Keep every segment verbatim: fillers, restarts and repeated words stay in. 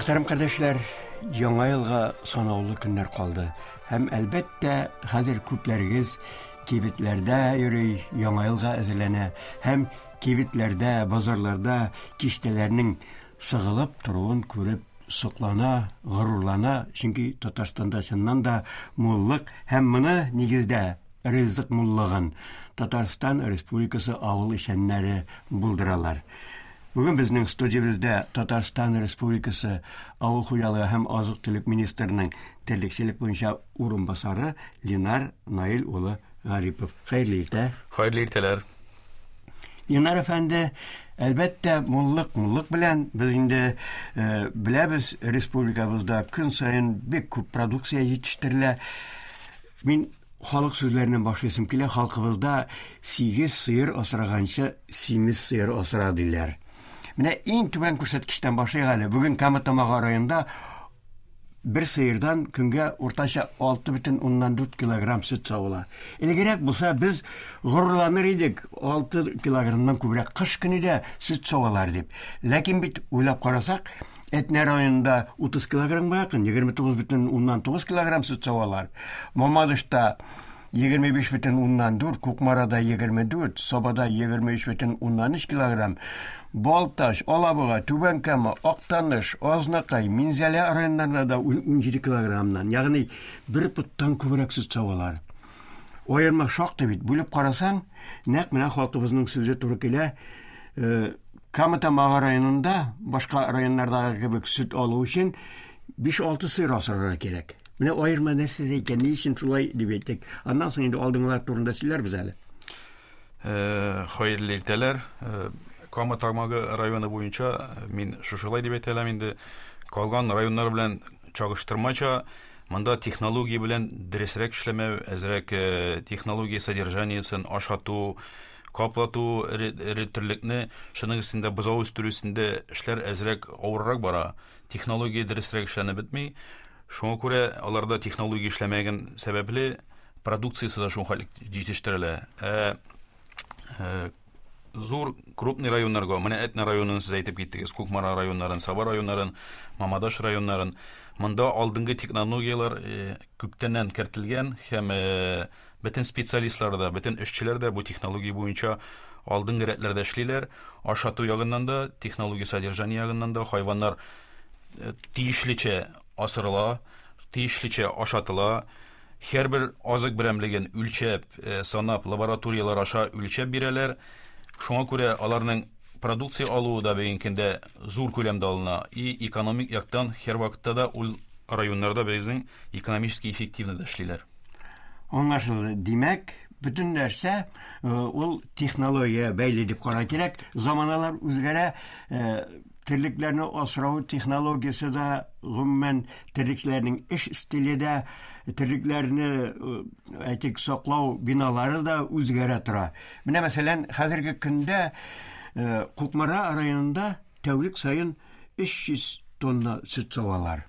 Мөхтәрәм кардәшләр, яңа елга санаулы көннәр калды. Һәм әлбәттә, хәзер күпләрегез кибетләрдә йөри, яңа елга әзерләнә. Һәм кибетләрдә, базарларда киштәләрнең сыгылып торуын күреп соклана, горурлана. Чөнки Татарстанда чыннан да муллык һәм моны нигездә ризык муллыгын Татарстан Республикасы авыл эшчәннәре булдыралар. Бүген безнең студиябездә Татарстан Республикасы Авыл хуҗалыгы һәм азык-төлек министрының терлекчелек буенча урынбасары Ленар Наил улы Гарипов. Хәерле иртә. Хәерле иртәләр. Ленар әфәнде, әлбәттә, муллык муллык белән без инде э, беләбез, республикабызда көн саен бик күп продукция җитештерелә. Мин халык сүзләреннән башлыйсым килә. Халкыбызда сигез сыер асраганчы симез сыер асра диләр. Менә иң түбән күрсәткечтән башлыйк әле. Бүген Кама Тамагы районында бер сыердан көнгә уртача алты бөтен уннан дүрт килограмм сөт савыла. Элегрәк булса без горурланыр идек, алты килограммнан күбрәк кыш көне дә сөт савалар дип. Ләкин бит уйлап карасак, Әтнә районында утыз килограммга якын, егерме тугыз бөтен уннан тугыз килограмм сөт савалар. Мамадышта егерме биш бөтен уннан дүрт, Кукмарада егерме дүрт, Сабада егерме өч бөтен уннан өч килограмм, Балтач, Алабуга, Түбән Кама, Актаныш, Азнакай, Минзәлә районнарында да ун җиде килограммнан, ягъни бер поттан күбрәк сөт савалар. Аерма шактый бит. Бүлеп карасаң, нәкъ менә халкыбызның сүзе туры килә. Э, Кама Тамагы районында башка районнардагы кебек сөт алу өчен биш-алты сыер асрарга кирәк. Менә аерма нәрсәдә икән, ни өчен шулай дип әйттек. Аннан соң инде алдынгылар турында сөйләрбез әле. Э, хәерле иртәләр. Э, Кама Тамагы районы буенча мин шушылай дип әйтә алам инде. Калган районнар белән чагыштырмача, монда технология белән дөресрәк эшләмәү, әзрәк, э, технология содержаниесен ашату, каплату, эре, эре терлекне, шуның өстендә бозау үстерү өстендә эшләр әзрәк авыррак бара. Технология дөресрәк эшләнеп бетми. Шуңа күрә аларда технология эшләмәгән сәбәпле продукциясе дә шул хәл җитештерелә. Ә, э, зур крупный районнарга, менә Әтнә районын сез әйтеп киттегез, Кукмара районнарын, Саба районнарын, Мамадыш районнарын. Монда алдынгы технологияләр, э, күптәннән кертелгән һәм, э, бөтен специалистлар да, бөтен эшчеләр дә бу технология буенча алдынгы рәтләрдә эшлиләр. Ашату ягыннан да, технология содержание ягыннан да хайваннар, э, тиешлечә асырыла, тиешлечә ашатыла. Һәрбер азык берәмлеген үлчәп, э, санап, лабораторияләр аша үлчәп бирәләр. Шуңа күрә аларның продукция алуы да бүгенге көндә зур күләмдә алына. И экономик яктан һәр вакытта да ул районнарда безнең экономически эффективно да эшлиләр. Аңлашылды. Димәк, бөтен нәрсә, э, ул технология бәйле дип карау кирәк. Заманалар үзгәрә, э, терлекләрне асрау технологиясе дә, гомумән терлекләрнең эш стиле дә, терлекләрне, э, әйтик, саклау биналары да үзгәрә тора. Менә мәсәлән, хәзерге көндә, э, Кукмара районында тәүлек саен өч йөз тонна сөт савалар.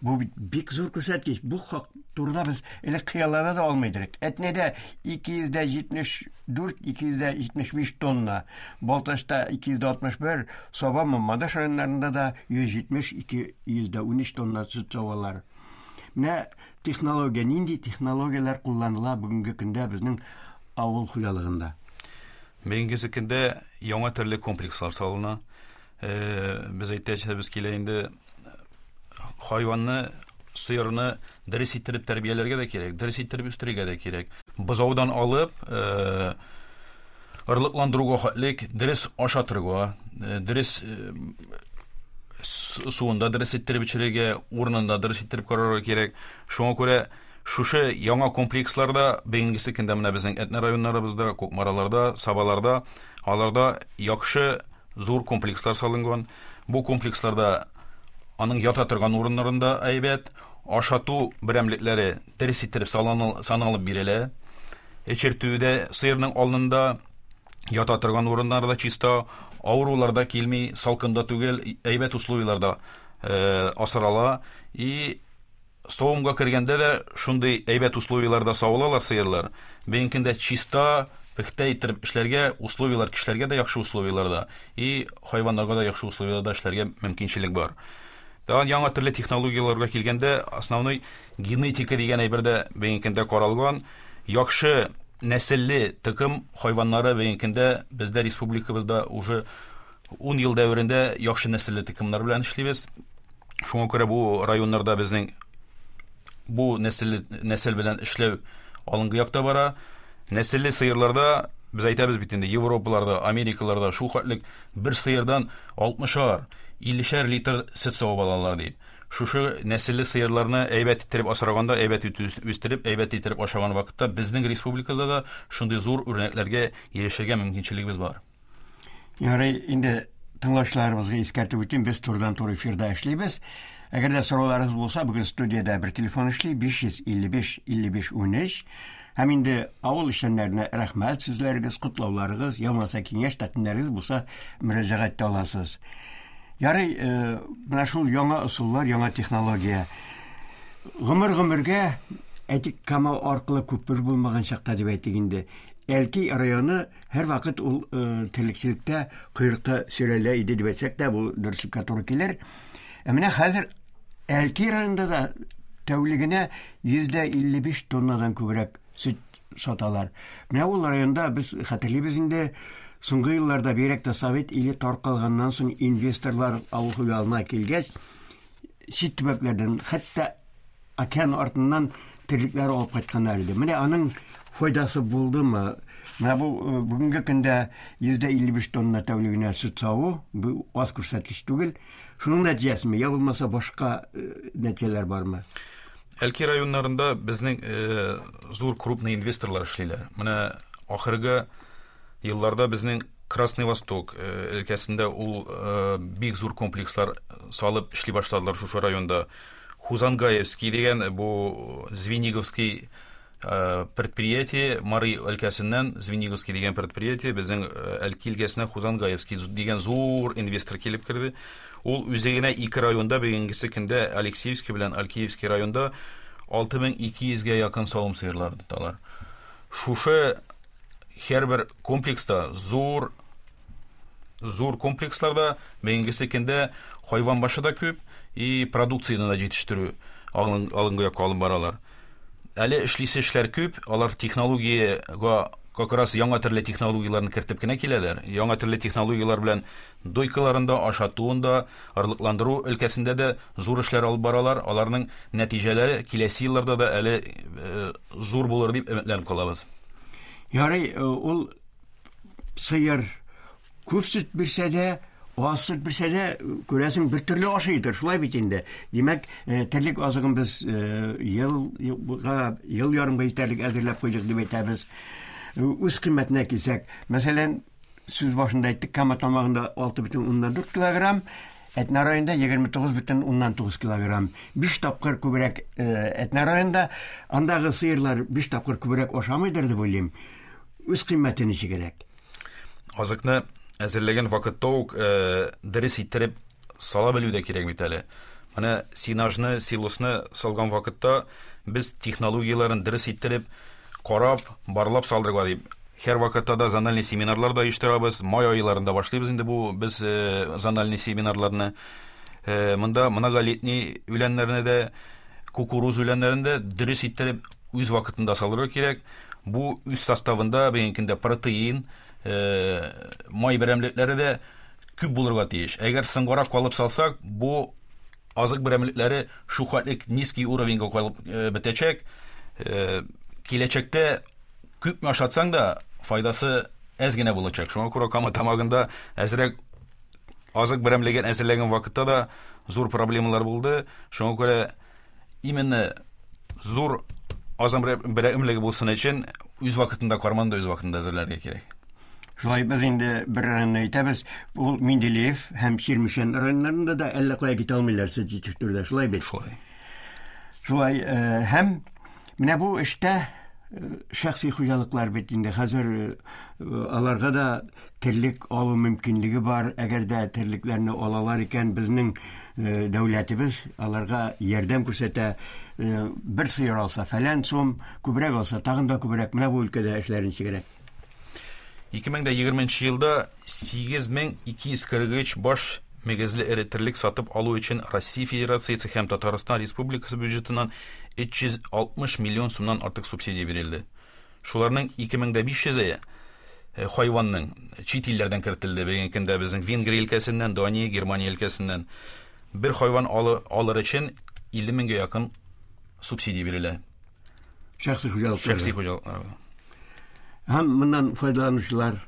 Бу бит бик зур күрсәткеч. Бу хак турыда без элек хыяллана да алмый идек. Әтнәдә ике йөз дә җитмеш дүрт, ике йөз дә җитмеш биш тонна, Балтачта ике йөз дә алтмыш бер, Саба, Мамадыш районнарында да йөз җитмеш, ике йөз дә унөч тонна сөт савалар. Менә технология, нинди технологияләр кулланыла бүгенге көндә безнең авыл хуҗалыгында? Бүгенге көндә яңа төрле комплекслар салына. Э, без әйтәчәбез килә инде, хайванны, сыерны дөрес иттереп тәрбияләргә дә кирәк, дөрес иттереп үстерергә дә кирәк. Бозаудан алып, э, орлыкландыруга хәтлек дөрес ашатырга, э, дөрес, э, суында дөрес иттереп эчерергә, урынында дөрес иттереп карарга кирәк. Шуңа күрә шушы яңа комплексларда бүгенге көндә менә безнең Әтнә районнарыбызда, Кукмараларда, Сабаларда, аларда яхшы зур комплекслар салынган. Бу комплексларда аның ята торган урыннарында әйбәт, ашату берәмлекләре дөрес иттереп саланыл-, саналып бирелә. Эчертүдә сыерның алдында ята торган урыннарда чиста, авырулар да килми, салкында түгел, әйбәт условияларда, э, асрала. И савымга кергәндә дә шундый әйбәт условияларда савылалар сыерлар. Бүгенге көндә чиста, пөхтә иттереп эшләргә условиялар, кешеләргә дә яхшы условияларда и хайваннарга да яхшы условияларда эшләргә мөмкинчелек бар. Тагын яңа төрле технологияләргә килгәндә, основной генетика дигән әйбер дә бүгенге көндә каралган. Яхшы нәселле токым хайваннары бүгенге көндә бездә республикабызда уже ун ел дәверендә яхшы нәселле токымнар белән эшлибез. Шуңа күрә бу районнарда безнең бу нәселле нәсел белән эшләү алынгы якта бара. Нәселле сыерларда без әйтәбез бит инде, Европаларда, Америкаларда шул хәтлек бер сыердан алтмышар, иллешәр литр сөт савып алалар дип. Шушы нәселле сыерларны әйбәт иттереп асраганда, әйбәт үстереп, әйбәт иттереп ашаган вакытта безнең республикада да шундый зур үрнәкләргә ирешергә мөмкинчелегебез бар. Ярый, инде тыңлаучыларыбызга искәртеп үтим, без турыдан-туры эфирда эшлибез. Әгәр дә сорауларыгыз булса, бүген студиядә бер телефон эшли, биш йөз илле биш илле биш унөч. Һәм инде авыл эшчәннәренә рәхмәт сүзләрегез, котлауларыгыз, я булмаса киңәш тәкъдимнәрегез булса, мөрәҗәгать итә аласыз. Ярый, менә шул яңа ысуллар, яңа технология. Гомер-гомергә, әйтик, Кама аркылы күпер булмаган чакта дип әйтик инде. Әлки районы һәр вакыт ул терлекчелектә койрыкта сөйрәлә иде дип әйтсәк тә, бу дөреслеккә туры килер. Ә менә хәзер Әлки районында да тәүлегенә йөз дә илле биш тоннадан күбрәк сөт саталар. Менә ул районда без хәтерлибез инде, соңгы елларда бигрәк тә Совет иле таркалганнан соң инвесторлар авыл хуҗалыгына килгәч, чит төбәкләрдән, хәтта океан артыннан терлекләр алып кайтканнар иде. Менә аның файдасы булдымы? Менә бу бүгенге көндә йөз дә илле биш тонна тәүлегенә сөт саву, бу аз күрсәткеч түгел. Шуның нәтиҗәсеме, я булмаса башка нәтиҗәләр бармы? Әлки районнарында безнең зур крупный инвесторлар эшлиләр. Менә ахыргы елларда безнең Красный Восток өлкәсендә ул бик зур комплекслар салып эшли башладылар шушы районда. Хузангаевский дигән бу Звениговский предприятие, Мари өлкәсеннән Звениговский дигән предприятие безнең Әлки өлкәсенә Хузангаевский дигән зур инвестор килеп керде. Ул үзе генә ике районда бүгенгесе көндә Алексеевский белән Алькеевский районда алты мең ике йөзгә якын савым сыерлары тоталар. Шушы һәрбер комплекста зур зур комплексларда бүгенгесе көндә хайван башы да күп и продукцияны да җитештерү алынгы якка алып баралар. Әле эшлисе эшләр күп, алар технологиягә как раз яңа төрле технологияләрне кертеп кенә киләләр. Яңа төрле технологияләр белән дойкаларында, ашатуында, орлыкландыру өлкәсендә дә зур эшләр алып баралар. Аларның нәтиҗәләре киләсе елларда да әле зур булыр дип өметләнеп калабыз. Ярый, ул сыер күп сөт бирсә дә, аз сөт бирсә дә, күрәсең, бер төрле ашыйдыр, шулай бит инде. Димәк, терлек азыгын без елга, ел ярымга җитәрлек әзерләп куйдык дип әйтәбез. Үз кыйммәтенә килсәк, мәсәлән, сүз башында әйттек, Кама тамагында алты бөтен уннан дүрт килограмм, Әтнә районында егерме тугыз бөтен уннан тугыз килограмм. Биш тапкыр күбрәк Әтнә районында, андагы сыерлар биш тапкыр күбрәк ашамыйдыр дип уйлыйм. Үз кыйммәте ничегрәк? Азыкны әзерләгән вакытта ук дөрес иттереп сала белү дә кирәк бит әле. Менә сенажны, силосны салган вакытта без технологияләрен дөрес иттереп карап, барлап салдырырга дип. Һәр вакытта да зональный семинарлар да оештырабыз. Май айларында башлыйбыз инде бу без зональный семинарларны. Монда многолетний үләннәрне дә, кукуруз үләннәрен дә дөрес иттереп үз вакытында салырга кирәк. Бу үз составында бүгенге көндә протеин, май берәмлекләре дә күп булырга тиеш. Әгәр соңгарак калып салсак, бу азык берәмлекләре шул хәтлек низкий уровеньга калып бетәчәк. Киләчәктә күпме ашатсаң да файдасы әз генә булачак. Шуңа күрә Кама тамагында әзрәк азык берәмлеген әзерләгән вакытта да зур проблемалар булды. Шуңа күрә именно зур азык берәмлеге булсын өчен үз вакытында карманды үз вакытында әзерләргә кирәк. Шулай без инде бер районны әйтәбез, ул Менделеев һәм Чирмешән районнарында да әллә кая китә алмыйлар сөт җитештерүдә, шулай бит? Шулай. Шулай, һәм менә бу эштә шәхси хуҗалыклар бит инде хәзер аларга да терлек алу мөмкинлеге бар. Әгәр дә терлекләрне алалар икән, безнең дәүләтебез аларга ярдәм күрсәтә. Бер сыер алса фәлән сум, күбрәк алса тагын да күбрәк. Менә бу өлкәдә эшләр ничегрәк? ике мең дә егерменче елда сигез мең ике йөз кырык өч баш мөгезле эре терлек сатып алу өчен Россия Федерациясе һәм Татарстан Республикасы бюджетыннан өч йөз алтмыш миллион сумнан артык субсидия бирелде. Шуларның ике мең дә биш йөзе хайванның чит илләрдән кертелде. Бүгенге көндә безнең Венгрия өлкәсеннән, Дания, Германия өлкәсеннән бер хайван алыр өчен илле меңгә якын субсидия бирелә. Шәхси хуҗалыклар. Шәхси хуҗалыклар. Һәм моннан файдаланучылар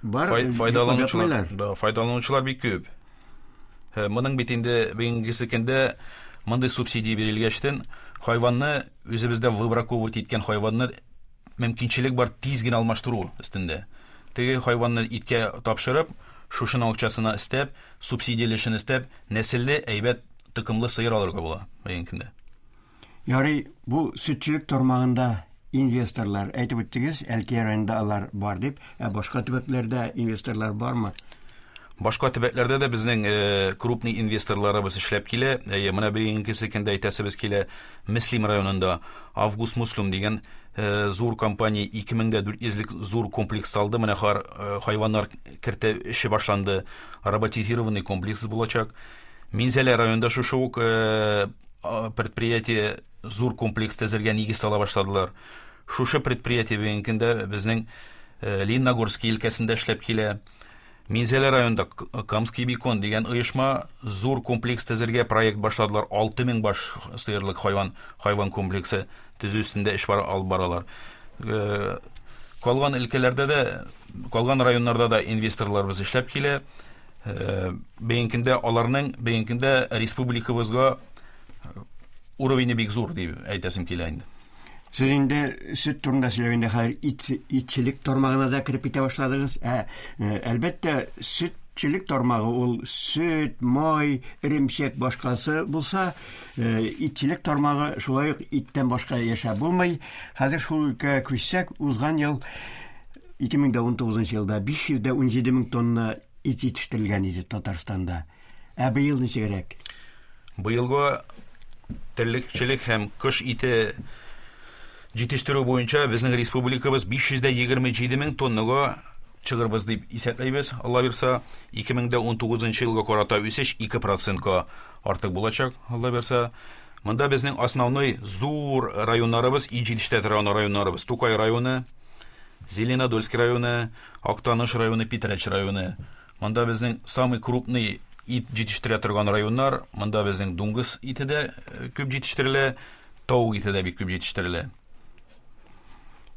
бар, файдаланучылар, да, файдаланучылар бик күп. Моның бит инде бүгенге көндә мондый субсидия бирелгәчтен хайванны үзебездә выбраковать иткән хайванны мөмкинчелек бар тиз генә алмаштыру өстендә. Теге хайванны иткә тапшырып, шушының акчасына өстәп, субсидиялешен өстәп, нәселле әйбәт токымлы сыер алырга була бүгенге көндә. Ярый, бу сөтчелек тармагында инвесторлар, әйтеп үттегез, Әлки районында алар бар дип, ә башка төбәкләрдә инвесторлар бармы? Башка төбәкләрдә дә безнең крупный инвесторларыбыз эшләп килә. Әйе, менә бүгенге көндә әйтәсебез килә, Мөслим районында Август Муслим дигән зур компания ике мең дә дүрт йөзлек зур комплекс салды. Менә хайваннар кертә эше башланды. Роботизированный комплекс булачак. Минзәлә районында шушы ук предприятие зур комплекс төзергә нигез сала башладылар. Шушы предприятие бүгенге көндә безнең Лениногорский өлкәсендә эшләп килә. Минзәлә районында Камский бекон дигән оешма зур комплекс төзергә проект башладылар. Алты мең баш сыерлык хайван, хайван комплексы төзү өстендә эш бар, алып баралар. Калган өлкәләрдә дә, калган районнарда да инвесторларыбыз эшләп килә. Бүгенге көндә аларның бүгенге көндә республикабызга уровене бик зур дип әйтәсем килә инде. Сез инде сөт турында сөйләгәндә хәзер ит, итчелек тармагына да кереп китә башладыгыз. Ә, әлбәттә, сөтчелек тармагы ул сөт, май, эремчек башкасы булса, итчелек тармагы шулай ук иттән башка яшәп булмый. Хәзер шул өлкәгә күчсәк, узган ел ике мең дә унтугызынчы елда биш йөз дә унҗиде мең тонна ит җитештерелгән иде Татарстанда. Ә быел ничегрәк? Быелгы терлекчелек һәм кыш ите җитештерү буенча безнең республикабыз биш йөз дә егерме җиде мең тоннага чыгырбыз дип исәпләйбез. Алла бирса, ике мең дә унтугызынчы елга карата үсеш ике процентка артык булачак, Алла бирса. Монда безнең основной зур районнарыбыз, ит җитештерә торган районнарыбыз: Тукай районы, Зеленодольский районы, Актаныш районы, Питрәч районы. Монда безнең самый крупный ит җитештерә торган районнар. Монда безнең дуңгыз ите дә күп җитештерелә, тавык ите дә бик күп җитештерелә.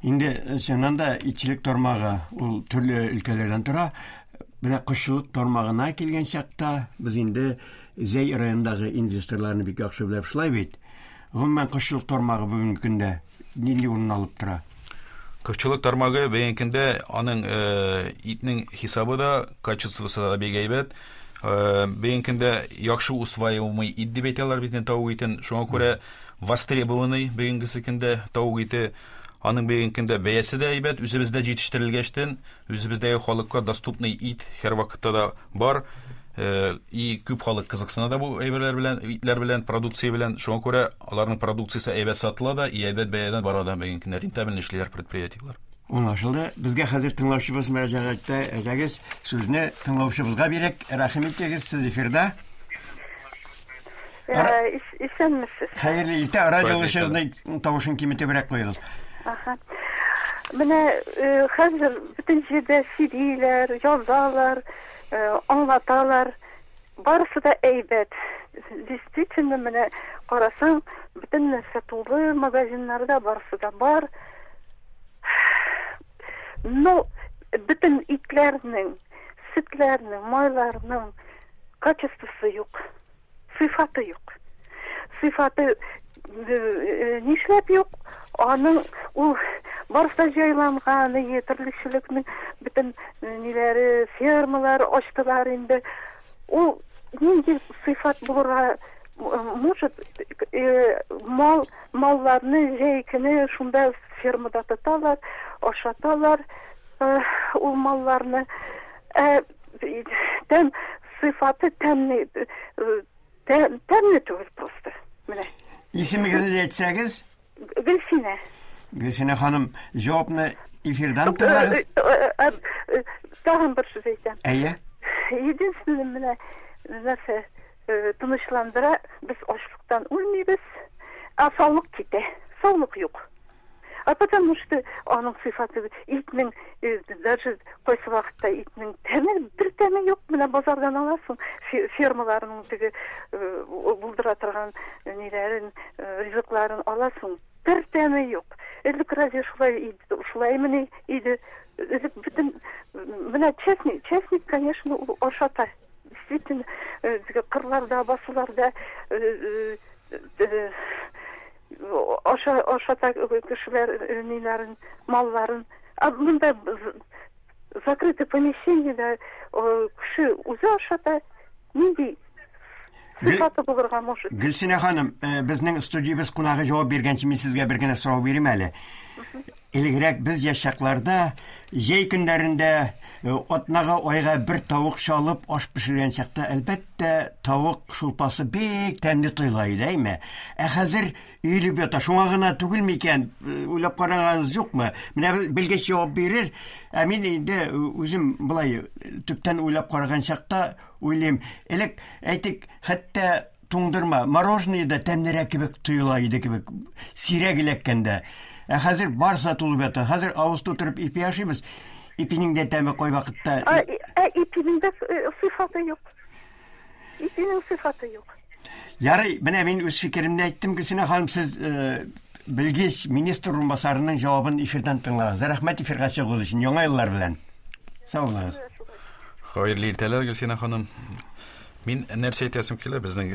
Инде чыннан да итчелек тармагы ул төрле өлкәләрдән тора. Менә кошчылык тармагына килгән чакта без инде Зәй районындагы инвесторларны бик яхшы белеп шулай бит. Гомумән кошчылык тармагы бүгенге көндә нинди урын алып тора? Кошчылык тармагы бүгенге көндә аның итнең хисабы да, качествосы да бик әйбәт. Бүгенге көндә яхшы усваиваемый ит дип әйтәләр бит тавык итен. Шуңа күрә востребованный бүгенге көндә тавык ите. Аның бүгенге көндә бәясе дә әйбәт, үзебездә җитештерелгәчтен, үзебездәге халыкка доступный ит һәр вакытта да бар. И күп халык кызыксына да бу әйберләр белән, итләр белән, продукция белән. Шуңа күрә аларның продукциясе әйбәт сатыла да, и әйбәт бәядән бара да бүгенге көндә рентабельный эшлиләр предприятиеләр. Аңлашылды. Безгә хәзер тыңлаучыбыз мөрәҗәгать итә. Әйдәгез, сүзне тыңлаучыбызга бирик. Рәхим итегез, сез эфирда. Исәнмесез. Хәерле иртә. Радиоларыгызның тавышын киметебрәк куегыз. Аха. Менә хәзер бөтен җирдә сөйлиләр, язалар, аңлаталар. Барысы да әйбәт. Действительно, менә карасаң, бөтен нәрсә тулы, магазиннарда барысы да бар. Но бөтен итләрнең, сөтләрнең, майларның качествосы юк, сыйфаты юк. Сыйфаты нишләп юк? Аның ул барысы да җайланган, терлекчелекнең бөтен ниләре, фермалар ачтылар инде. Ул нинди сыйфат булырга может, мал малларны җәй көне шунда фермада тоталар, ашаталар ул малларны. Тәм сыйфаты тәмле, тәмле түгел просто. Менә. Исемегезне әйтсәгез? Гөлсинә. Гөлсинә ханым, җавапны эфирдан тыңлагыз. Тагын бер сүз әйтәм. Әйе. Единственное, менә нәрсә тынычландыра, без ачлыктан үлмибез, а саулык китә, саулык юк. А потому что аның сыйфаты итнең, даже кайсы вакытта итнең тәме, бер тәме юк. Менә базардан аласың, фермаларның теге булдыра торган ниләрен, ризыкларын аласың, бер тәме юк. Элек разве шулай шулаймыни иде? Элек бөтен менә честник, честник, конечно, ул ашата. Действительно, кырларда, басуларда аша ашата кешеләр ниләрен, малларын. А монда закрытое помещениедә кеше үзе ашата, нинди сыйфаты булырга может? Гөлсинә ханым, безнең студиябез кунагы җавап биргәнче мин сезгә бер генә сорау бирим әле. Элегрәк без яшь чакларда җәй көннәрендә атнага, айга бер тавык чалып аш пешергән чакта, әлбәттә, тавык шулпасы бик тәмле тоела иде, әйме? Ә хәзер өелеп ята, шуңа гына түгелме икән? Уйлап караганыгыз юкмы? Менә белгеч җавап бирер. Ә мин инде үзем болай төптән уйлап караган чакта уйлыйм. Элек әйтик, хәтта туңдырма, мороженое да тәмлерәк кебек тоела иде кебек, сирәк эләккәндә. Ә хәзер барса тулып ята. Хәзер авыз тутырып ипи ашыйбыз. Ипинең дә тәме кай вакытта. Ә, ә ипинең дә сыйфаты юк. Ипинең сыйфаты юк. Ярый, менә мин үз фикеремне әйттем, Гөлсинә ханым, сез белгеч министр урынбасарының җавабын эфирдан тыңлагыз. Рәхмәт эфиргә чыгуыгыз өчен. Яңа еллар белән. Сау булыгыз. Хәерле иртәләр, Гөлсинә ханым. Мин нәрсә әйтәсем килә, безнең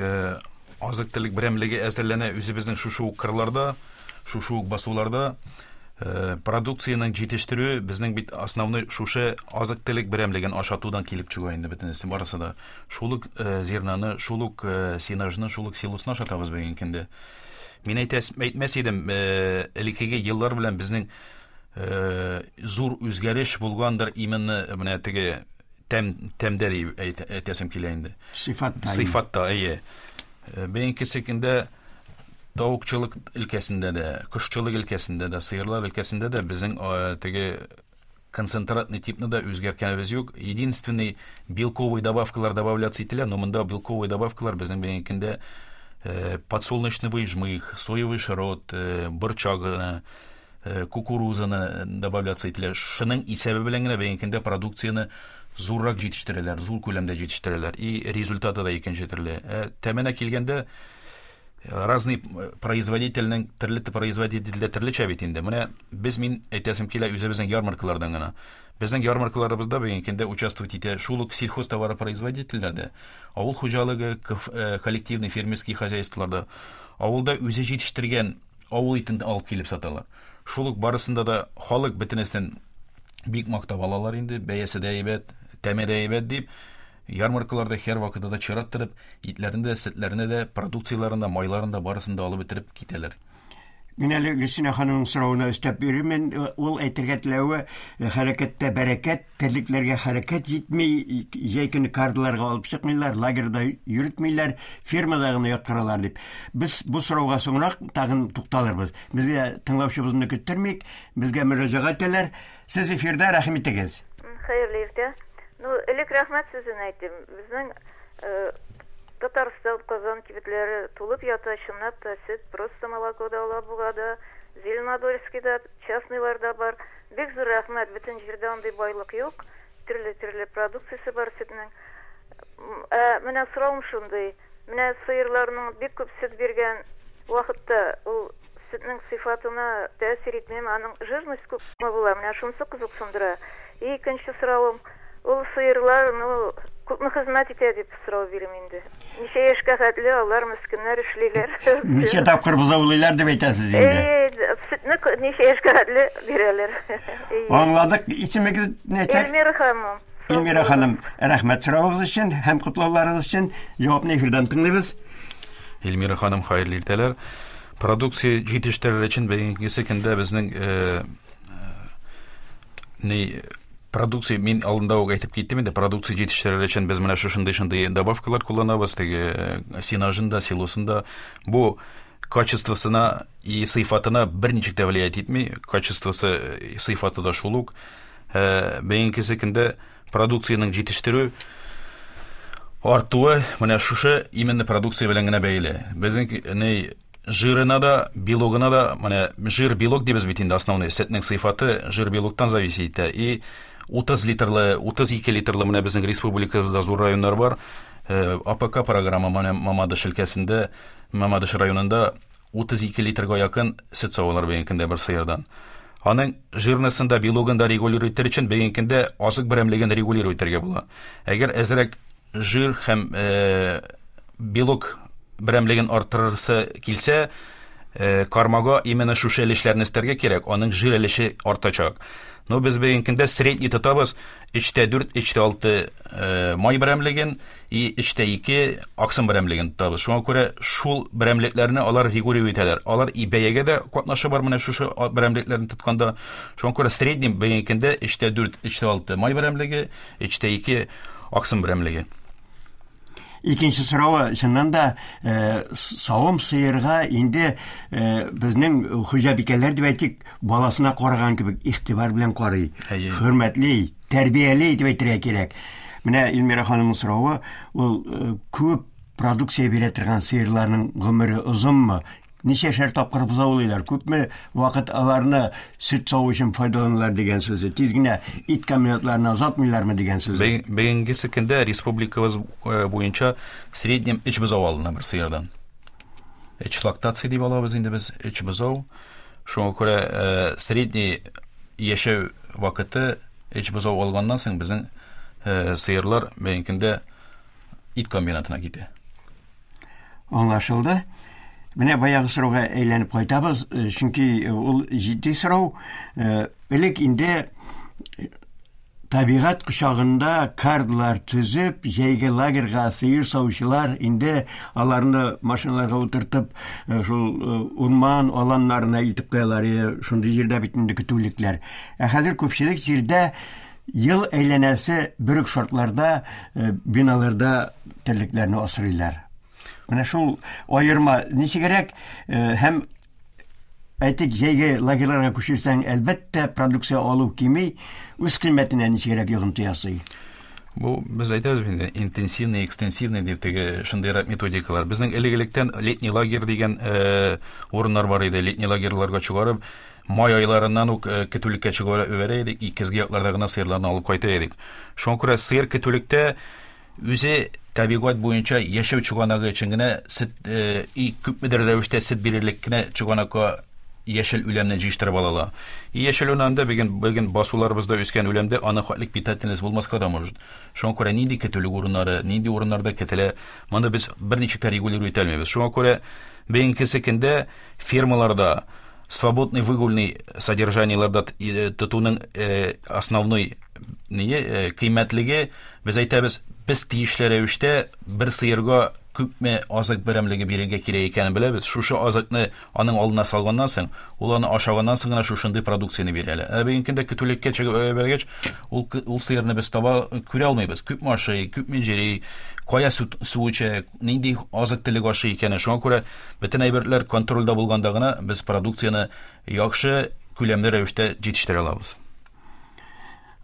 азык-төлек берәмлеге әзерләнә үзебезнең шушы ук кырларда, шушы ук басуларда. Продукциянең җитештерүе безнең бит основной шушы азык-төлек берәмлеген ашатудан килеп чыга инде бөтенесе барысы да. Шул ук зернаны, шул ук сенажны, шул ук силосны ашатабыз бүгенге көндә. Мин әйтәс, әйтмәс идем, элеккеге еллар белән безнең зур үзгәреш булгандыр именно менә теге тәм тәмдә дип әйтәсем килә инде. Сыйфатта. Сыйфатта, әйе. Бүгенге көндә тавыкчылык өлкәсендә дә, кошчылык өлкәсендә дә, сыерлар өлкәсендә дә безнең теге концентратный типны да үзгәрткәнебез юк. Единственный белковый добавкалар добавляться ителә, но монда белковый добавкалар безнең бүгенге көндә подсолнечный жмых, соевый шрот, борчагы, кукурузаны добавляться ителә. Шуның исәбе белән генә бүгенге көндә продукцияне зуррак җитештерәләр, зур күләмдә җитештерәләр. И результаты да икенче төрле. Тәменә килгәндә разный производительнең төрле производительдә төрлечә бит инде. Менә без мин әйтәсем килә үзебезнең ярмаркалардан гына. Безнең ярмаркаларыбызда бүгенге көндә участвовать итә шул ук сельхозтоваропроизводительләрдә, авыл хуҗалыгы, коллективный фермерский хозяйстволарда, авылда үзе җитештергән авыл итен алып килеп саталар. Шул ук барысында да халык бөтенесен бик мактап алалар инде, бәясе дә әйбәт, тәме дә әйбәт дип. Ярмаркаларда һәр вакытта да чират торып, итләрен дә, сөтләрен дә, продукцияларын да, майларын да барысын да алып бетереп китәләр. Мин әле Гөлсинә ханымның соравына өстәп бирермен. Ул әйтергә теләве, хәрәкәттә бәрәкәт, терлекләргә хәрәкәт җитми, җәй көне кардыларга алып чыкмыйлар, лагерьда йөртмиләр, фермада гына яткыралар дип. Без бу сорауга соңрак тагын тукталырбыз. Безгә тыңлаучыбызны көттермик, безгә мөрәҗәгать итәләр. Сез эфирдә, рәхим итегез. Хәерле иртә. Ну, элек рәхмәт сүзен әйттем. Безнең Татарстан, Казан кибетләре тулып ята, чынлап та сөт, просто молоко да Алабугада, Зеленодольскийда, частныйларда бар. Бик зур рәхмәт, бөтен җирдә андый байлык юк. Төрле-төрле продукциясе бар сөтнең. Ә менә соравым шундый. Менә сыерларның бик күп сөт биргән вакытта ул сөтнең сыйфатына тәэсир итмиме, аның жирность күпме була? Менә шунысы кызыксындыра. И икенче соравым, ул сыерлар, ну, күпме хезмәт итә дип сорау бирим инде. Ничә яшькә хәтле алар мескеннәр эшлиләр. Ничә тапкыр бозаулыйлар дип әйтәсез инде. Э, сөтне ничә яшькә хәтле бирәләр. Аңладык. Исемегез ничек? Эльмира ханым. Эльмира ханым, рәхмәт соравыгыз өчен һәм котлауларыгыз өчен. Җавапны эфирдан тыңлыйбыз. Эльмира ханым, хәерле иртәләр. Продукция җитештерер өчен бүгенге көндә безнең ни продукция, мин алдында ук әйтеп киттем инде, продукция җитештерер өчен без менә шушындый шундый добавкалар кулланабыз, теге сенажында, силосында. Бу качествосына и сыйфатына берничек тә влиять итми, качествосы, сыйфаты да шул ук. Бүгенге көндә продукциянең җитештерү артуы менә шушы именно продукция белән генә бәйле. Безнең ни жирына да, белогына да, менә жир белок дибез бит инде, основной сөтнең сыйфаты жир белоктан зависит итә. И утыз литрлы, утыз ике литрлы менә безнең республикабызда зур районнар бар. А П К программа менә Мамадыш өлкәсендә, Мамадыш районында утыз ике литрга якын сөт савалар бүгенге көндә бер сыердан. Аның жирностен да, белогын да регулировать итәр өчен бүгенге көндә азык берәмлеген регулировать итәргә була. Әгәр әзрәк жир һәм э, белок берәмлеген арттырырсы килсә, э, кормага именно шушы өлешләрне өстәргә кирәк, аның жир өлеше артачак. Но без бүгенге көндә средний тотабыз өчтә дүрт, өчтә алты э, май берәмлеген и өчтә ике аксым берәмлеген тотабыз. Шуңа күрә шул берәмлекләрне алар регулировать итәләр. Алар и бәягә дә катнашы бар менә шушы берәмлекләрне тотканда. Шуңа күрә средний бүгенге көндә өчтә дүрт, өчтә алты май берәмлеге, өчтә ике аксым берәмлеге. Икенче соравы, чыннан да, э, савым сыерга инде э, безнең хуҗабикәләр дип әйтик, баласына караган кебек игътибар белән карый, Әйе. хөрмәтли, тәрбияли дип әйтергә кирәк. Менә Эльмира ханымның соравы, ул э, күп продукция бирә торган сыерларның гомере озынмы? Ничәшәр тапкыр бозаулыйлар, күпме вакыт аларны сөт саву өчен файдаланалар дигән сүзе. Тиз генә ит комбинатларына озатмыйлармы дигән сүзе. Бүгенгесе көндә республикабыз э, буенча среднем өч бозау алына бер сыердан. Өч лактация дип алабыз инде без, өч бозау. Шуңа күрә э, средний яшәү вакыты өч бозау алганнан соң безнең э, сыерлар бүгенге көндә ит комбинатына китә. Аңлашылды. Менә баягы сорауга әйләнеп кайтабыз, э, чөнки ул җитди сорау. Э, Элек инде табигать кочагында карлар төзеп, җәйге лагерьга сыер савучылар инде аларны машиналарга утыртып, э, шул урман аланнарына илтеп куялар. Шундый җирдә бит инде көтүлекләр. Ә хәзер күпчелек җирдә ел әйләнәсе бер үк шартларда биналарда терлекләрне асрыйлар. Менә шул аерма ничегрәк һәм әйтик, җәйге лагерьларга күчерсәң, әлбәттә, продукция алу кими, үз кыйммәтенә ничегрәк йогынты ясый? Бу без әйтәбез инде интенсивный, экстенсивный дип теге шундыйрак методикалар. Безнең элек-электән летний лагерь дигән э, урыннар бар иде. Летний лагерьларга чыгарып, май айларыннан ук э, көтүлеккә чыгарып җибәрә идек, көзге якларда гына сыерларны алып кайта идек. Шуңа күрә сыер көтүлектә үзе табигать буенча яшәү чыганагы өчен генә сөт э, и күпмедер рәвештә сөт бирерлек кенә чыганакка яшел үләнне җыештырып ала ала. И яшел үләндә бүген бүген басуларыбызда үскән үләндә аны хәтлек питательность булмаска да может. Шуңа күрә нинди көтүлек урыннары, нинди урыннарда көтелә, моны без берничек тә регулировать итә алмыйбыз. Шуңа күрә бүгенге көндә фермаларда свободный выгульный содержаниеларда тотуның э, основной ние э, кыйммәтлеге, без әйтәбез, без тиешле рәвештә бер сыерга күпме азык берәмлеге бирергә кирәк икәнен беләбез. Шушы азыкны аның алдына салганнан соң, ул аны ашаганнан соң гына шушындый продукцияне бирә ала. Ә бүгенге көндә көтүлеккә чыгып бергәч, ул ул сыерны без таба күрә алмыйбыз. Күпме ашый, күпме җыри, кая су, су эчә, нинди азык-төлек ашый икәнен. Шуңа күрә бөтен әйберләр контрольдә булганда гына без продукцияне яхшы күләмле рәвештә җитештерә алабыз.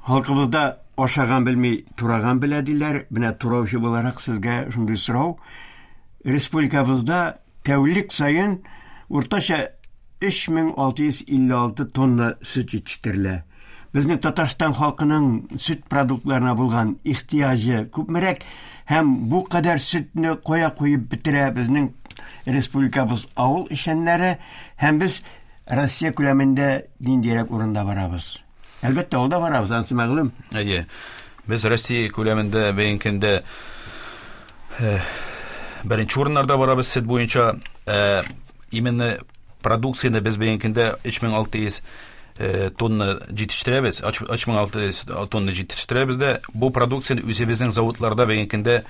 Халкыбызда ашаган белми, тураган белә диләр. Менә тураучы буларак сезгә шундый сорау. Республикабызда тәүлек саен уртача өч мең алты йөз илле алты тонна сөт җитештерелә. Безнең Татарстан халкының сөт продуктларына булган ихтыяҗы күпмерәк һәм бу кадәр сөтне кая куеп бетерә безнең республикабыз авыл эшчәннәре һәм без Россия күләмендә ниндирәк урында барабыз? Әлбәттә, алда барабыз, анысы мәгълүм. Әйе. Без Россия күләмендә бүгенге көндә э, беренче урыннарда барабыз сөт буенча. Э, именно продукцияне без бүгенге көндә өч мең алты йөз э, тонна җитештерәбез. өч мең алты йөз тонна җитештерәбез дә, бу продукцияне үзебезнең заводларда бүгенге көндә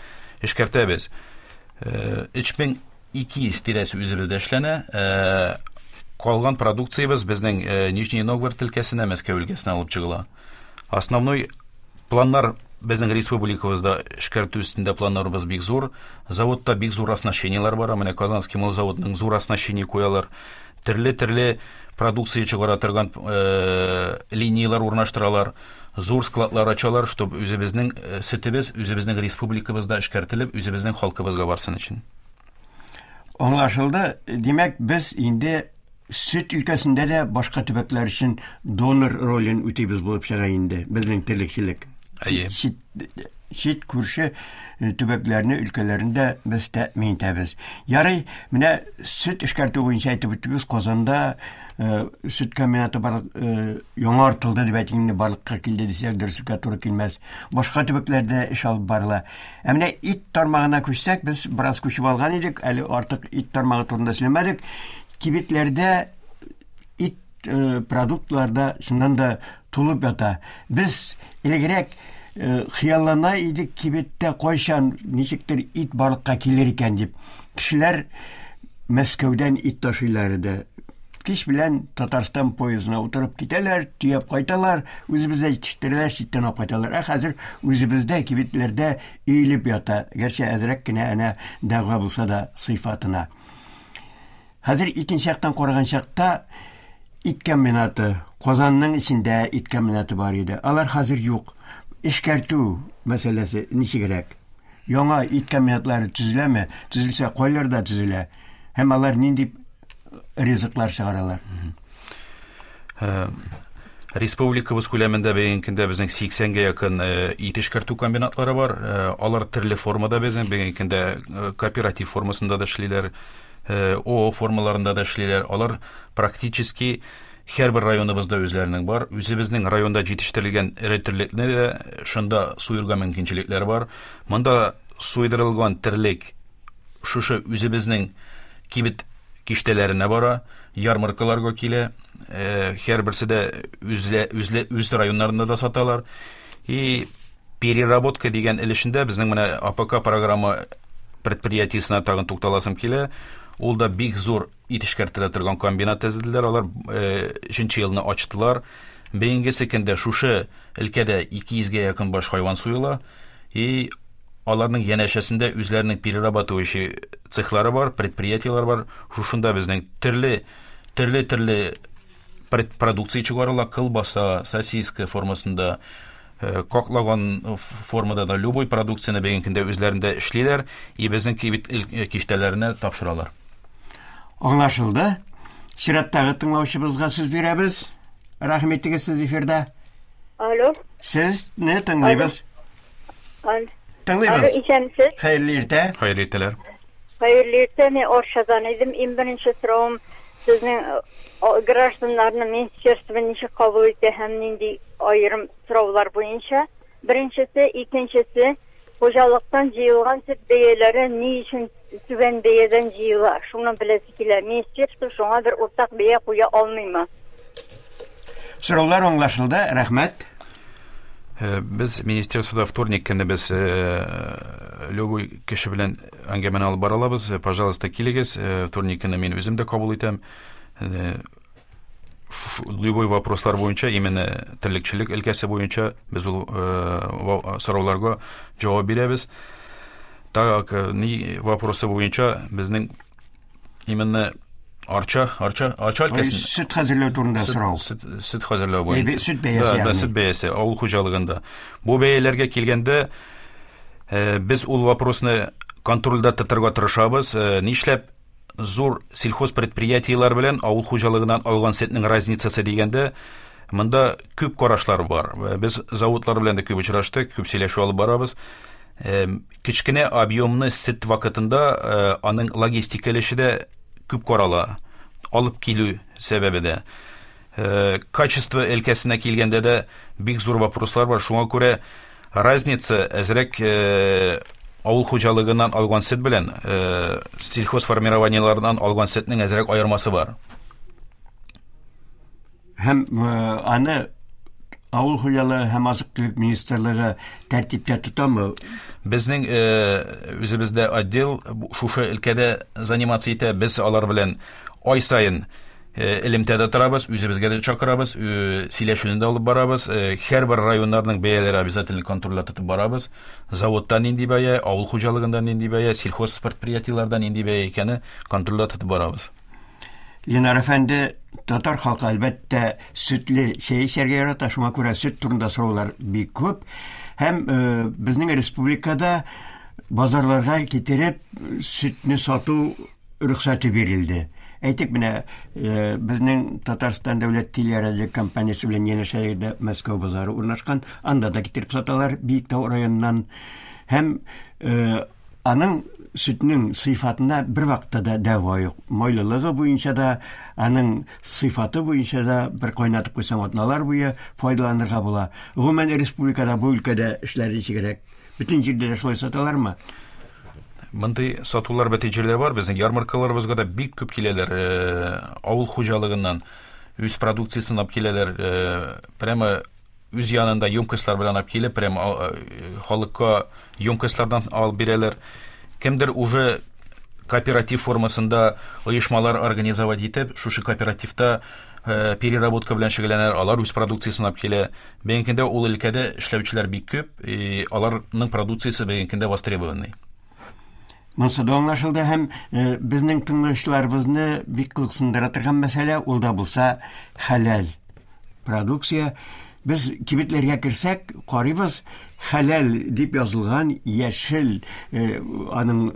эшкәртәбез. Э, өч мең ике йөз тирәсе үзебездә эшләнә. Э, калган продукциябез безнең э, Нижний Новгород өлкәсенә, Мәскәү өлкәсенә алып чыгыла. Основной планнар безнең республикабызда эшкәртү өстендә планнарыбыз бик зур. Заводта бик зур оснащениелар бар. Менә Казанский молзаводның зур оснащение куялар. Төрле-төрле продукция чыгара торган э, линиялар урнаштыралар, зур складлар ачалар, чтобы үзебезнең э, сөтебез үзебезнең республикабызда эшкәртелеп, үзебезнең халкыбызга барсын өчен. Аңлашылды. Димәк, без инде сөт өлкәсендә дә башка төбәкләр өчен донор ролен үтибез булып чыга инде безнең терлекчелек. Әйе. Чит, чит күрше э, төбәкләрне, өлкәләрендә без тәэмин итәбез. Ярый, менә сөт эшкәртү буенча әйтеп үттегез, Казанда э, сөт комбинаты бар, э, яңартылды дип әйтик инде, барлыкка килде дисәк, дөреслеккә туры килмәс. Башка төбәкләрдә эш алып барыла. Ә менә ит тармагына күчсәк, без бераз күчеп алган идек, әле артык ит тармагы турында сөйләмәдек. Кибетләрдә ит э, продуктларда чыннан да тулып ята. Без элегрәк э, хыяллана идек, кибеттә кайчан ничектер ит барлыкка килер икән дип. Кешеләр Мәскәүдән ит ташыйлар иде. Кич белән Татарстан поездына утырып китәләр, төяп кайталар, үзебездә җитештерәләр, читтән алып кайталар. Ә хәзер үзебездә кибетләрдә өелеп ята. Гәрчә әзрәк кенә әнә дәгъва булса да сыйфатына. Хәзер икенче яктан караган чакта ит комбинаты, Казанның эчендә ит комбинаты бар иде. Алар хәзер юк. Эшкәртү мәсьәләсе ничегрәк? Яңа ит комбинатлары төзеләме? Төзелсә, кайларда төзелә? Һәм алар нинди ризыклар чыгаралар? Э, Республикабыз күләмендә бүгенге көндә безнең сиксәнгә якын э, ит эшкәртү комбинатлары бар. Э, алар төрле формада безнең бүгенге көндә э, кооператив формасында да эшлиләр, э, О О формаларында да эшлиләр. Алар практически һәрбер районыбызда үзләренең бар. Үзебезнең районда җитештерелгән эре терлекне дә шунда суерга мөмкинчелекләр бар. Монда суйдырылган терлек шушы үзебезнең кибет киштәләренә бара, ярмаркаларга килә. Э, һәрберсе дә үзле, үзле, үз районнарында да саталар. И переработка дигән өлешендә безнең менә А П К программа предприятиесенә тагын тукталасым килә. Ул да бик зур ит эшкәртелә торган комбинат төзеделәр. Алар, э, өченче елны ачтылар. Бүгенгесе көндә шушы өлкәдә ике йөзгә якын баш хайван суела. И аларның янәшәсендә үзләренең перерабатывающий цехлары бар, предприятиеләр бар. Шушында безнең төрле, төрле, төрле пред-, продукция чыгарыла, колбаса, сосиска формасында, э, каклаган формада да любой продукцияне бүгенге көндә үзләрендә эшлиләр и безнең кибет ил-, э, киштәләренә тапшыралар. Аңлашылды. Чираттагы тыңлаучыбызга сүз бирәбез. Рәхим итегез, сез эфирда. Алло. Сезне тыңлыйбыз. Алло. Тыңлыйбыз. Алло, исәнмесез? Хәерле иртә. Хәерле иртәләр. Хәерле иртә. Мин Оршадан идем. Иң беренче соравым сезнең, э, гражданнарны министерство ничек кабул итә һәм нинди аерым сораулар буенча? Беренчесе, икенчесе, хуҗалыктан җыелган сөт бәяләре ни өчен түбән бәядән җыела? Шуны беләсе килә. Министерство шуңа бер уртак бәя куя алмыймы? Сораулар аңлашылды, рәхмәт. Э, без министерствода вторник көнне без, э, любой кеше белән әңгәмәне алып бара алабыз. Э, пожалуйста, килегез. Э, вторник көнне мин үзем дә кабул итәм. Э, шу-, любой вопрослар буенча, именно терлекчелек өлкәсе буенча без ул, э, ва-, сорауларга җавап бирәбез. Так, э, ни вопросы буенча безнең именно Арча, Арча, Арча Ой, өлкәсендә сөт хәзерләү турында Сөт, сорау. сөт, сөт хәзерләү буенча. Әйбе, сөт бәясе Да, да, ягъни. сөт бәясе авыл хуҗалыгында. Бу бәяләргә килгәндә, э, без ул вопросны контрольдә тотарга тырышабыз. Э, нишләп зур сельхоз предприятиеләр белән авыл хуҗалыгыннан алган сөтнең разницасы дигәндә, монда күп карашлар бар. Э, без заводлар белән дә күп очраштык, күп сөйләшү алып барабыз. Э, кечкенә объемны сөт вакытында, э, аның логистика өлеше дә күп карала, алып килү сәбәбе дә. Э, качество өлкәсенә килгәндә дә бик зур вопрослар бар. Шуңа күрә разница әзрәк, э, авыл хуҗалыгыннан алган сөт белән, э, сельхозформированиелардан алган сөтнең әзрәк аермасы бар. Һәм, э, аны авыл хуҗалыгы һәм азык-төлек министрлыгы тәртиптә тотамы? Безнең, э, үзебездә отдел шушы өлкәдә заниматься итә. Без алар белән ай саен, э, элемтәдә торабыз, үзебезгә дә чакырабыз, э, сөйләшүне дә алып барабыз. Э, һәрбер районнарның бәяләре обязательно контрольдә тотып барабыз. Заводта нинди бәя, авыл хуҗалыгында нинди бәя, сельхоз предприятиеләрдә нинди бәя икәне контрольдә тотып барабыз. Ленар әфәнде, татар халкы әлбәттә сөтле чәй эчәргә ярата, шуңа күрә сөт турында сораулар бик күп. Һәм э, безнең республикада базарларга китереп сөтне сату рөхсәте бирелде. Әйтик, менә э, безнең Татарстан дәүләт телерадио компаниясе белән янәшәдә Мәскәү базары урнашкан, анда да китереп саталар Биектау районыннан. Һәм э, аның сөтнең сыйфатына бер вакытта да дәва юк. Майлылыгы буенча да, аның сыйфаты буенча да бер кайнатып куйсаң атналар буе файдаланырга була. Гомумән республикада бу өлкәдә эшләр ничегрәк? Бөтен җирдә дә шулай саталармы? Мондый сатулар бөтен җирдә бар. Безнең ярмаркаларыбызга да бик күп киләләр. Э, авыл хуҗалыгыннан үз продукциясен алып киләләр. Э, прямо үз янында емкостьлар белән алып килеп, прямо э, халыкка емкостьлардан алып бирәләр. Кемдер уже кооператив формасында оешмалар организовать итеп, шушы кооперативта э, переработка белән шөгыльләнәләр, алар үз продукциясен алып килә. Бүгенге көндә ул өлкәдә эшләүчеләр бик күп, и аларның продукциясе бүгенге көндә востребованный. Монысы да аңлашылды һәм э, безнең тыңлаучыларыбызны бик кызыксындыра торган мәсьәлә ул да булса хәләл продукция. Без кибетләргә керсәк, карыйбыз, хәләл дип язылган яшел, э, аның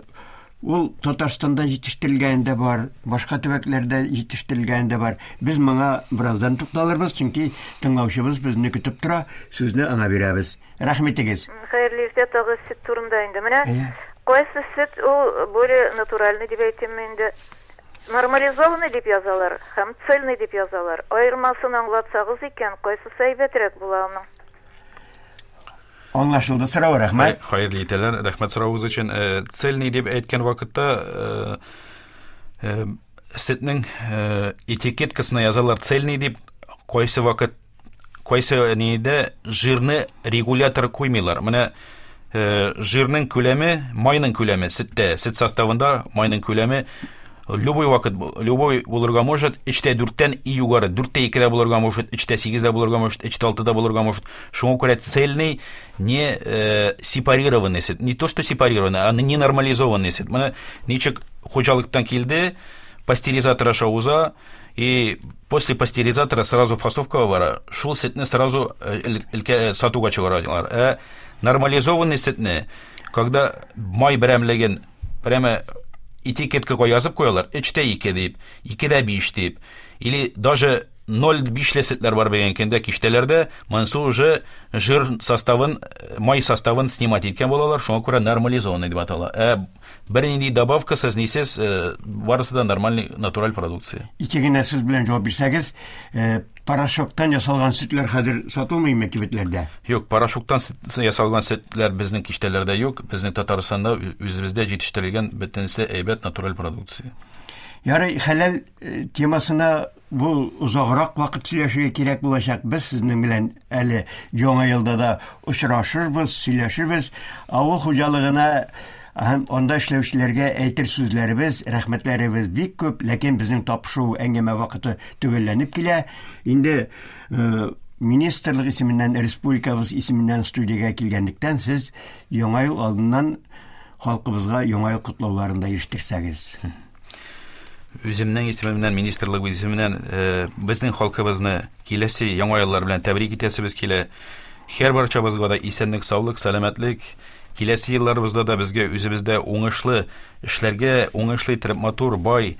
ул Татарстанда җитештерелгән дә бар, башка төбәкләрдә җитештерелгән дә бар. Без моңа бераздан тукталырбыз, чөнки тыңлаучыбыз безне көтеп тора, сүзне аңа бирәбез. Рәхмәт итегез. Хәерле иртә, тагы сөт турында инде. Менә Әйе. кайсы сөт ул более натуральный дип әйтим инде. Нормализованный дип язалар һәм цельный дип язалар. Аермасын аңлатсагыз икән, кайсысы әйбәтрәк була аның? Аңлашылды сорау, рәхмәт. Хәерле иртәләр, рәхмәт соравыгыз өчен. Э, Цельный дип әйткән вакытта э, э, сөтнең э, этикеткасына язалар цельный дип, кайсы вакыт кайсы нидә жирны регулятор куймыйлар. Менә э, жирның күләме, майның күләме сөттә, сөт составында майның күләме любой вакыт, любой булырга может, өчтә дүрттән и югары, дүрттә икедә булырга может, өчтә сигездә булырга может, өчтә алтыда булырга может. Шуңа күрә цельный не э, сепарированный сөт, не то что сепарированный, а не нормализованный сөт. Менә ничек хуҗалыктан килде, пастеризатор аша уза, и после пастеризатора сразу фасовка бара, шул сөтне сразу э, ил- илкә- сатуга чыгаралар. Ә нормализованный сөтне, когда май берәмлеген прямо этикеткага язып куялар, өчтә ике дип, икедә биш дип, или даже ноль бишле сөтләр бар бүгенге көндә киштәләрдә, монысы уже жир составын, май составын снимать иткән булалар, шуңа күрә нормализованный дип атала. Ә бернинди добавкасыз, нисез, э, барысы да нормальный натураль продукция. Ике генә сүз белән җавап бирсәгез, э, порошоктан ясалган сөтләр хәзер сатылмыймы кибетләрдә? Юк, порошоктан сөт- ясалган сөтләр безнең киштәләрдә юк. Безнең Татарстанда ү- үзебездә җитештерелгән бөтенесе әйбәт натураль продукция. Ярый, хәләл э, темасына бу озаграк вакыт сөйләшергә кирәк булачак. Без сезнең белән әле яңа елда да очрашырбыз, сөйләшербез. Авыл хуҗалыгына һәм анда эшләүчеләргә әйтер сүзләребез, рәхмәтләребез бик күп, ләкин безнең тапшыру әңгәмә вакыты төгәлләнеп килә. Инде э, министрлык исеменнән, республикабыз исеменнән студиягә килгәнлектән сез яңа ел алдыннан халкыбызга яңа ел котлауларын да ирештерсәгез. Үземнең исемемнән, министрлык исеменнән э, безнең халкыбызны киләсе яңа еллар белән тәбрик итәсебез килә. Һәр барчабызга да исәнлек, саулык, сәламәтлек. Киләсе елларыбызда да безгә үзебездә уңышлы эшләргә, уңышлы итеп матур, бай,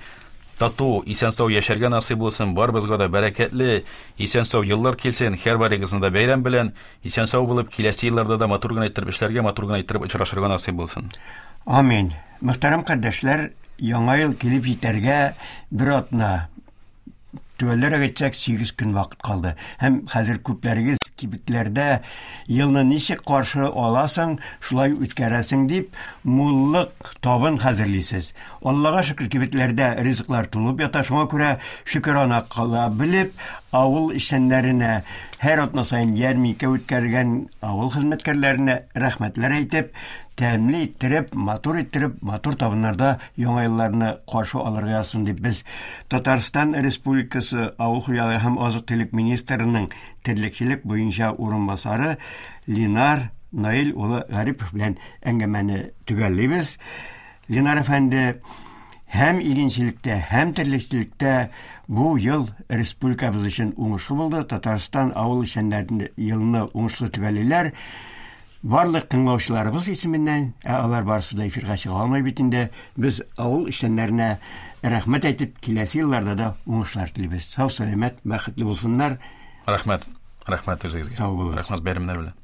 тату, исән-сау яшәргә насыйп булсын. Барыбызга да бәрәкәтле, исән-сау еллар килсен. Һәр барыгызны да бәйрәм белән исән-сау булып, киләсе елларда да матур гына итеп эшләргә, матур гына итеп очрашырга насыйп булсын. Амин. Мөхтәрәм кардәшләр, яңа ел килеп җитәргә бер атна, төгәлләрәк әйтсәк, сигез көн вакыт калды. Һәм хәзер күпләрегез кибетләрдә елны ничек каршы аласың, шулай үткәрәсең дип, муллык табын хәзерлисез. Аллага шөкер, кибетләрдә ризыклар тулып ята, шуңа күрә шөкерана кыла белеп, авыл эшчәннәренә һәр атна саен ярминкә үткәргән авыл хезмәткәрләренә рәхмәтләр әйтеп, тәмле иттереп, матур иттереп, матур табыннарда яңа елларны каршы алырга язсын дип без Татарстан Республикасы Авыл хуҗалыгы һәм азык-төлек министрының терлекчелек буенча урынбасары Ленар Наил улы Гарипов белән әңгәмәне төгәллибез. Ленар әфәнде, Һәм игенчелектә, һәм терлекчелектә бу ел республикабыз өчен уңышлы булды. Татарстан авыл эшчәннәрен елны уңышлы төгәллиләр. Барлык тыңлаучыларыбыз исеменнән, ә алар барысы да эфирга чыга алмый бит инде, без авыл эшчәннәренә рәхмәт әйтеп, киләсе елларда да уңышлар телибез. Сау, сәламәт, бәхетле булсыннар. Рәхмәт. Рәхмәт үзегезгә. Сау булыгыз. Рәхмәт бәйрәмнәр белән.